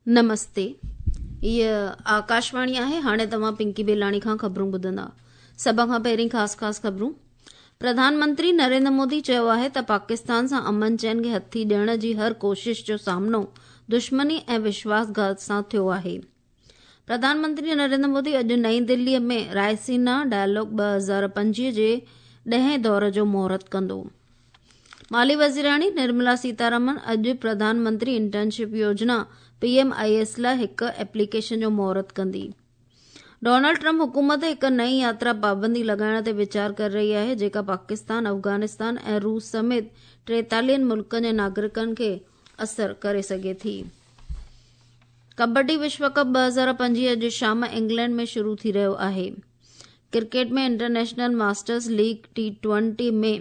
نمستي هيء آڪاشواڻي آهي هاڻي توهان پنڪي بيلاڻي کان خبرون ٻڌندا سڀ کان پهرين خاص خاص خبرون پرڌان منتري نريندر مودي چيو آهي ته پاڪستان سان امن چين کي هٿي ڏيڻ جي هر ڪوشش جو سامنو دشمني ۽ وشواس گهات سان ٿيو آهي پرڌان منتري نريندر مودي اڄ نئين دهلي ۾ رائسينا ڊائلاگ 2025 جي ڏهين دور جو مهورت ڪندو مالي وزيراڻي نرملا سيتارامن اڄ Pradhan Mantri internship Yojana P M I S لاء هڪ ايپليڪيشن جو مهورت ڪندي. ڊونلڊ ٽرمپ حڪومت هڪ نئين ياترا پابندي لڳائڻ تي ويچار ڪري رهي آهي جيڪا پاڪستان، افغانستان ۽ روس سميت ٽيتاليهن ملڪن جي ناگرڪن کي اثر ڪري سگهي ٿي. ڪبڊي وشو ڪپ 2025 اڄ شام انگلينڊ ۾ شروع ٿي رهيو آهي. Cricket ۾ international masters league T twenty ۾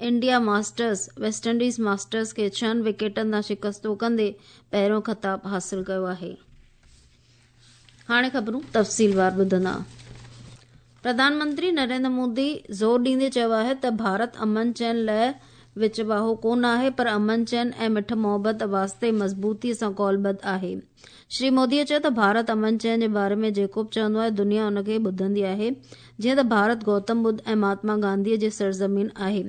India masters West Indies masters کي ڇهن وڪيٽن تان شڪستو ڪندي پهريون خطاب حاصل ڪيو آهي. هاڻي خبرون تفصيلوار ٻڌندا. پرڌان منتري نريندر مودي زور ڏيندي چيو آهي ته ڀارت امن چين لاء وچ واهو ڪونه آهي پر امن چين ۽ مٺ محبت واسطي مضبوطي سان قولبڌ آهي. شري موديء چيو ته ڀارت امن چين جي باري ۾ جيڪو به چوندو آهي دنيا ان کي ٻڌندي آهي جيئن ته ڀارت گوتم ٻڌ ۽ مهاتما گانڌيء جي سرزمين آهي.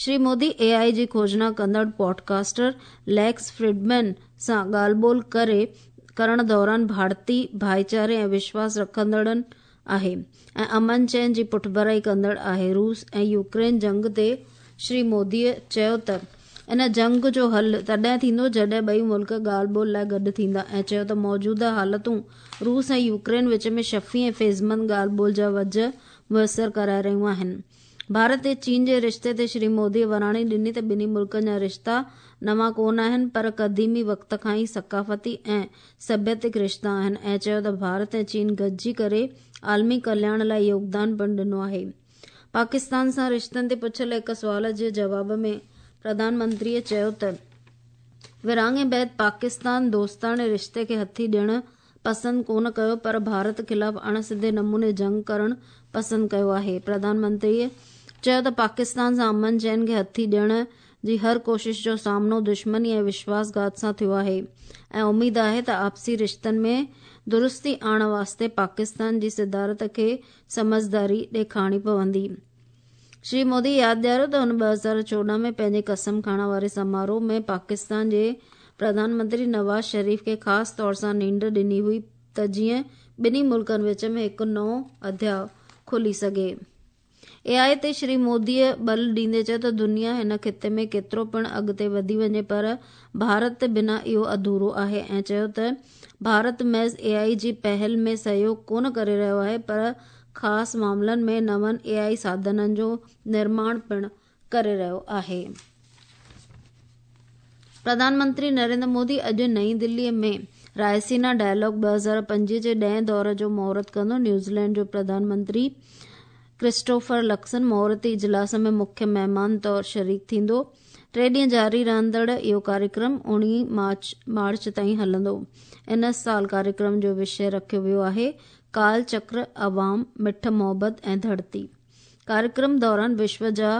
شري مودي اي آء جي کوجنا ڪندڙ پوڊڪاسٽر ليڪس فريڊمين سان ڳالهه ٻولهه ڪري ڪرڻ دوران ڀارتي ڀائيچاري ۽ وشواس رکندڙن آهي ۽ امن چين جي پٺڀرائي ڪندڙ آهي. روس ۽ يوڪرين جنگ تي شري موديء چيو ته ان جنگ جو حل تڏهن ٿيندو جڏهن ٻئي ملڪ ڳالهه ٻولهه لاء گڏ ٿيندا ۽ چيو ته موجوده حالتون روس ۽ يوڪرين وچ ۾ شفي ۽ فيضمند ڳالهه ٻولهه جا وجهه ميسر ڪرائي رهيون آهن. ڀارت ۽ چين جي رشتي تي شري موديء وراڻي ڏني ته ٻنهي ملڪن جا رشتا نوان ڪونه آهن پر قديمي وقت کان ئي ثقافتي ۽ سڀيتڪ رشتا آهن ۽ چيو ته ڀارت ۽ چين گڏجي ڪري عالمي ڪلياڻ لاء يوگدان پڻ ڏنو آهي. پاڪستان سان رشتن تي پڇيل هڪ سوال جي جواب ۾ پرڌان منتريء چيو ته ورهاڱي بعد پاڪستان دوستاڻي رشتي کي هٿي ڏيڻ پسند ڪونه ڪيو پر ڀارت خلاف اڻ سڌي نموني جنگ ڪرڻ پسند ڪيو آهي. پرڌان منتريء چيو ته پاڪستان سان امن چين کي هٿي ڏيڻ جي هر ڪوشش جو سامنو دشمني ۽ وشواس گهات سان ٿيو آهي ۽ اميد آهي ته آپسي رشتن ۾ درستي آڻڻ واسطي پاڪستان جي صدارت کي سمجهداري ڏيکارڻي پوندي. شري مودي ياد ڏياريو ته هن 2014 ۾ پنهنجي قسم کڻڻ واري سماروهه ۾ پاڪستان جي پرڌان منتري نواز شريف کي خاص طور سان نينڍ ڏني هئي ته جيئن ٻنهي ملڪن وچ ۾ هڪ نئون اڌياء کلي سگهي. اي آء تي شري موديء ٻل ڏيندي چيو ته دنيا هن خطي ۾ ڪيترو پڻ اڳتي وڌي وڃي پر ڀارت بنا اهو اڌورو آهي ۽ چيو ته ڀارت محض اي آء جي پهل ۾ سهيوڳ ڪونه ڪري رهيو آهي پر خاص معاملن ۾ نون اي آء ساڌنن جو نرماڻ پڻ ڪري رهيو آهي. پرڌان منتري نريندر مودي اڄ نئين دهلي ۾ رائسينا ڊائلاگ 2025 جي ڏهين دور جو مهورت ڪندو. نيوزيلينڊ جو پرڌان منتري ڪرسٽوفر لڪسن مهورتي اجلاس ۾ مکيه مهمان طور شريڪ ٿيندو. ٽي ڏينهن جاري رهندڙ اهو ڪاريڪرم اوڻيهه مارچ تائين هلندو. ان سال ڪاريڪرم جو وشيه رکيو ويو آهي ڪال چڪر، عوام، مٺ محبت ۽ ڌرتي. ڪاريڪرم دوران وشو جا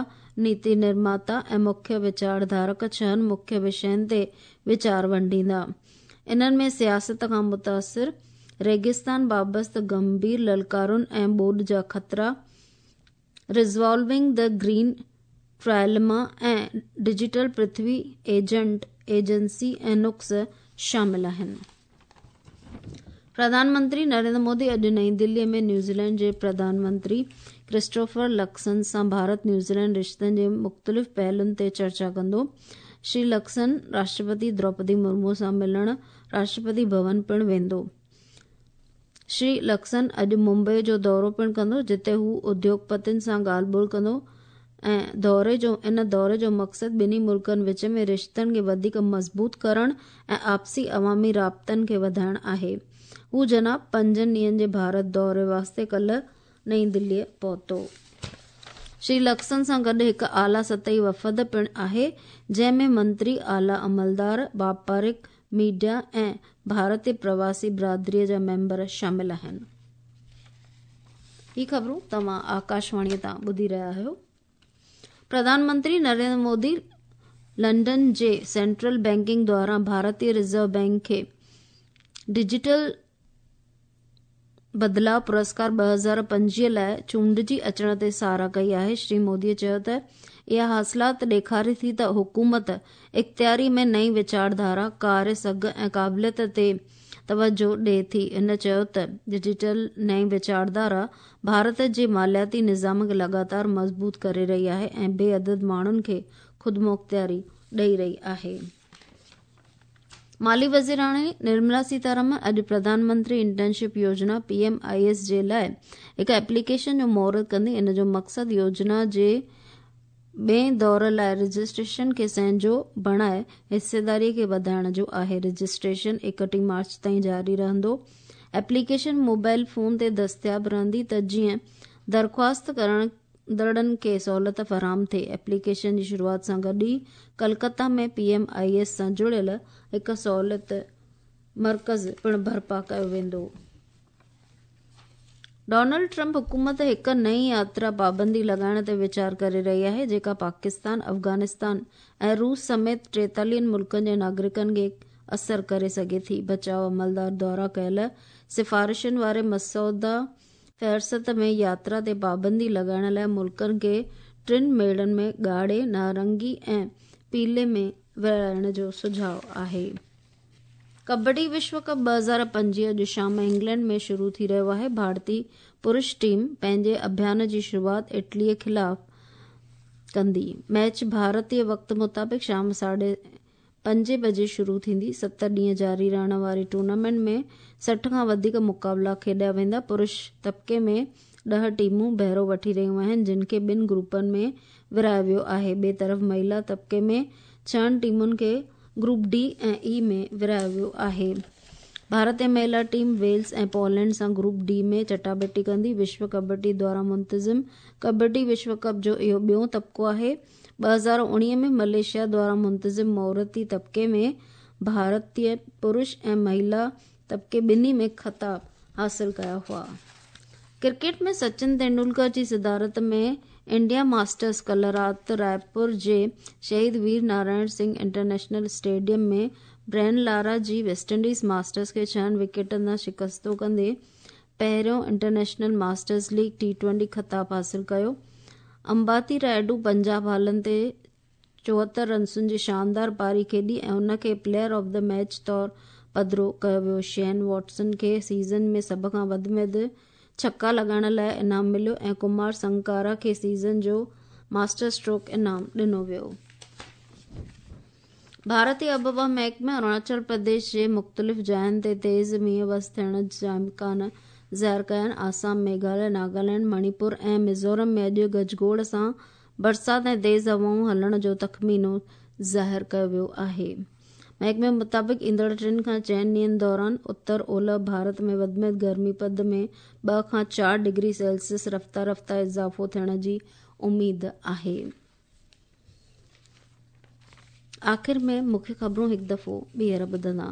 نيتي نرماتا ۽ مکيه ويچار ڌارڪ ڇهن مکيه وشين تي ويچار ونڊيندا. انهن ۾ سياست کان متاثر، ريگستان بابست گنڀير للڪارن ۽ ٻوڏ جا خطرا، ريزالونگ the green ٽرائلما ۽ digital Prithvi agent agency ۽ نقص شامل آهن. پرڌان منتري نريندر مودي اڄ نئين دهلي ۾ نيوزيلينڊ جي پرڌان منتري ڪرسٽوفر لڪسن سان ڀارت نيوزيلينڊ رشتن جي مختلف پهلن تي چرچا ڪندو. شري لڪسن راشٽرپتي دروپدي مرمو سان ملڻ راشٽرپتي ڀون پڻ ويندو. شري لڪسن اڄ ممبئي جو دورو پڻ ڪندو جتي هو اديوگپتين سان ڳالهه ٻولهه ڪندو ۽ دوري جو ان دوري جو مقصد ٻنهي ملڪن وچ ۾ رشتن کي وڌيڪ مضبوط ڪرڻ ۽ آپسي عوامي رابطن کي وڌائڻ آهي. هو جناب پنجن ڏينهن جي ڀارت دوري واسطي ڪلهه نئين دهليء پهتو. شري لڪسن سان گڏ هڪ اعليٰ سطحي وفد پڻ آهي جنهن ۾ منتري، اعليٰ عملدار، واپارڪ ميڊيا ۽ ڀارتي پرواسي برادريء جا ميمبر شامل آهن. هي خبرون توهان آڪاشواڻيء تان ٻڌي رهيا آهيو. پرڌان منتري نريندر مودي لنڊن جي سينٽرل بينڪنگ دوران ڀارتي رزرو بينڪ کي ڊجيٽل بدلاء پرسڪار 2025 لاءِ چونڊجي اچڻ تي ساراهه ڪئي آهي. شري مودي چيو ته اها حاصلات ڏيکاري ٿي ته حڪومت اختياري ۾ نئين ويچارڌارا، ڪاريه سگهه ۽ قابليت تي توجهه ڏئي ٿي. هن چيو ته ڊجيٽل نئين ويچارڌارا ڀارت جي مالياتي نظام کي لڳاتار مضبوط ڪري رهي آهي ۽ بي عدد ماڻهن کي خودمختياري ڏئي رهي آهي. مالي وزيراڻي نرملا سيتارامن اڄ Pradhan Mantri internship Yojana, P M I S, جي لاءِ هڪ ايپليڪيشن جو مهورت ڪندي. ان جو مقصد يوجنا جي ٻئي دور لاءِ رجسٽريشن کي سهنجو بڻائي حصيداري کي وڌائڻ جو آهي. رجسٽريشن 31 مارچ تائين جاري رهندو. ايپليڪيشن موبائل فون تي دستياب رهندي ته جيئن درخواست ڪرڻ ڪندڙن کي سهولت فراهم ٿئي. ايپليڪيشن جي شروعات سان گڏ ئي Kolkata ۾ P M I S سان جڙيل هڪ سهولت مرڪز پڻ برپا ڪيو ويندو. ڊونلڊ ٽرمپ حڪومت هڪ نئين ياترا پابندي لڳائڻ تي ويچار ڪري رهي آهي، جيڪا پاڪستان، افغانستان ۽ روس سميت 43 ملڪن جي ناگرڪن کي اثر ڪري سگهي ٿي. بچاء عملدار دواران ڪيل سفارشن واري مسوده فهرست ۾ ياترا تي پابندي لڳائڻ لاءِ ملڪن کي ٽن ميڙن ۾ ڳاڙهي، نارنگي ۽ پيلي ۾ ورهائڻ جو سجهاءُ آهي. ڪبڊي وشو ڪپ 2025 اڄ شام انگلينڊ ۾ شروع ٿي رهيو آهي. ڀارتي پرش ٽيم پنهنجي اڀيان جي شروعات اٽلي خلاف ڪندي. ميچ ڀارتي وقت مطابق شام 5:30 بجي شروع ٿيندي. 7 ڏينهن جاري رهڻ واري ٽورنامينٽ ۾ 60 کان وڌيڪ مقابلا کيڏيا ويندا. پرش طبقي ۾ 10 ٽيمون بهرو وٺي رهيون آهن، جن کي ٻن گروپن ۾ ورهايو ويو آهي. ٻئي طرف مهيلا طبقي ۾ ڇهن ٽيمن کي گروپ ڊي ۽ اي ۾ ورهايو ويو آهي. ڀارتي مهيلا ٽيم ويلز ۽ پولينڊ سان گروپ ڊي ۾ چٽاڀيٽي ڪندي. وشو ڪبڊي دواران منتظم ڪبڊي وشو ڪپ جو اهو ٻيون طبقو آهي. 2019 ۾ ملائيشيا دواران منتظم مهورتي طبقي ۾ ڀارتي پرش ۽ مهيلا طبقي ٻنهي ۾ خطاب حاصل ڪيا هئا. ڪرڪيٽ ۾ سچن تينڊولڪر جي صدارت ۾ انڊيا ماسٽرز ڪلهه رات رائپور جي Shaheed Veer Narayan Singh international stadium ۾ Brian Lara جي ويسٽ انڊيز ماسٽرز کي ڇهن وڪيٽن تان شڪستو ڪندي پهريون انٽرنيشنل ماسٽرز ليگ ٽي twenty خطاب حاصل ڪيو. امباتي رائيڊو 50 بالن تي 74 رنسن جي شاندار پاري کيڏي ۽ هن کي پليئر آف the match طور پڌرو ڪيو ويو. شين واٽسن کي سيزن ۾ سڀ کان وڌ ۾ وڌ ڇڪا لڳائڻ لاءِ انعام مليو ۽ ڪمار سنگاڪارا کي سيزن جو ماسٽر اسٽروڪ انعام ڏنو ويو. ڀارتي آبهوا محڪمي اروناچل پرديش جي مختلف جاين تي تيز مينهن وس ٿيڻ جا امڪان ظاهر ڪيا آهن. آسام، ميگهاليه، ناگالينڊ، مڻيپور ۽ ميزورم ۾ اڄ گجگوڙ سان برسات ۽ تيز هوائون هلڻ جو تخمينو ظاهر ڪيو ويو آهي. محڪمي مطابق ايندڙ ٽن کان چئن ڏينهن دوران اتر اولهه ڀارت ۾ وڌ ۾ وڌ گرمي پد ۾ 2 کان 4 ڊگري سيلسيس رفته رفته اضافو ٿيڻ جي اميد آهي. آخر ۾ مکيه خبرون هڪ دفعو ٻيهر ٻڌندا.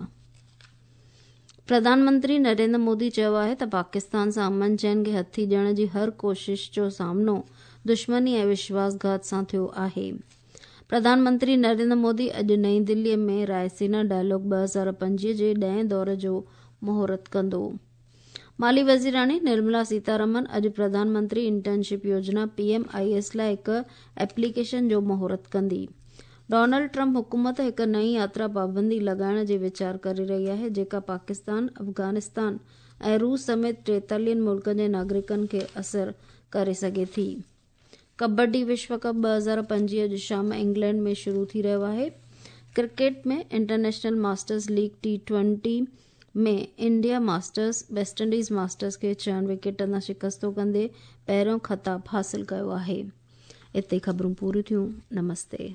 پرڌان منتري نريندر مودي چيو آهي ته پاڪستان سان امن چين کي هٿي ڏيڻ جي هر ڪوشش جو سامنو دشمني ۽ وشواس گهات سان ٿيو آهي. پرڌان منتري نريندر مودي اڄ نئين دلي ۾ رائسينا ڊائلاگ 2025 جي ڏهين دور جو مهورت ڪندو. مالي وزيراڻي نرملا سيتارامن اڄ Pradhan Mantri internship Yojana, P M I S, لاءِ هڪ ايپليڪيشن جو مهورت ڪندي. ڊونلڊ ٽرمپ حڪومت هڪ نئين ياترا پابندي لڳائڻ جي ويچار ڪري رهي آهي، جيڪا پاڪستان، افغانستان ۽ روس سميت 43 ملڪن جي ناگرڪن کي اثر ڪري سگهي ٿي. ڪبڊي وشو ڪپ 2025 اڄ شام انگلينڊ ۾ شروع ٿي رهيو آهي. Cricket ۾ international masters league T twenty ۾ India masters West Indies masters کي ڇهن وڪيٽن تان شڪستو ڪندي پهريون خطاب حاصل ڪيو آهي. اتي خبرون پوريون ٿيون. نمستي.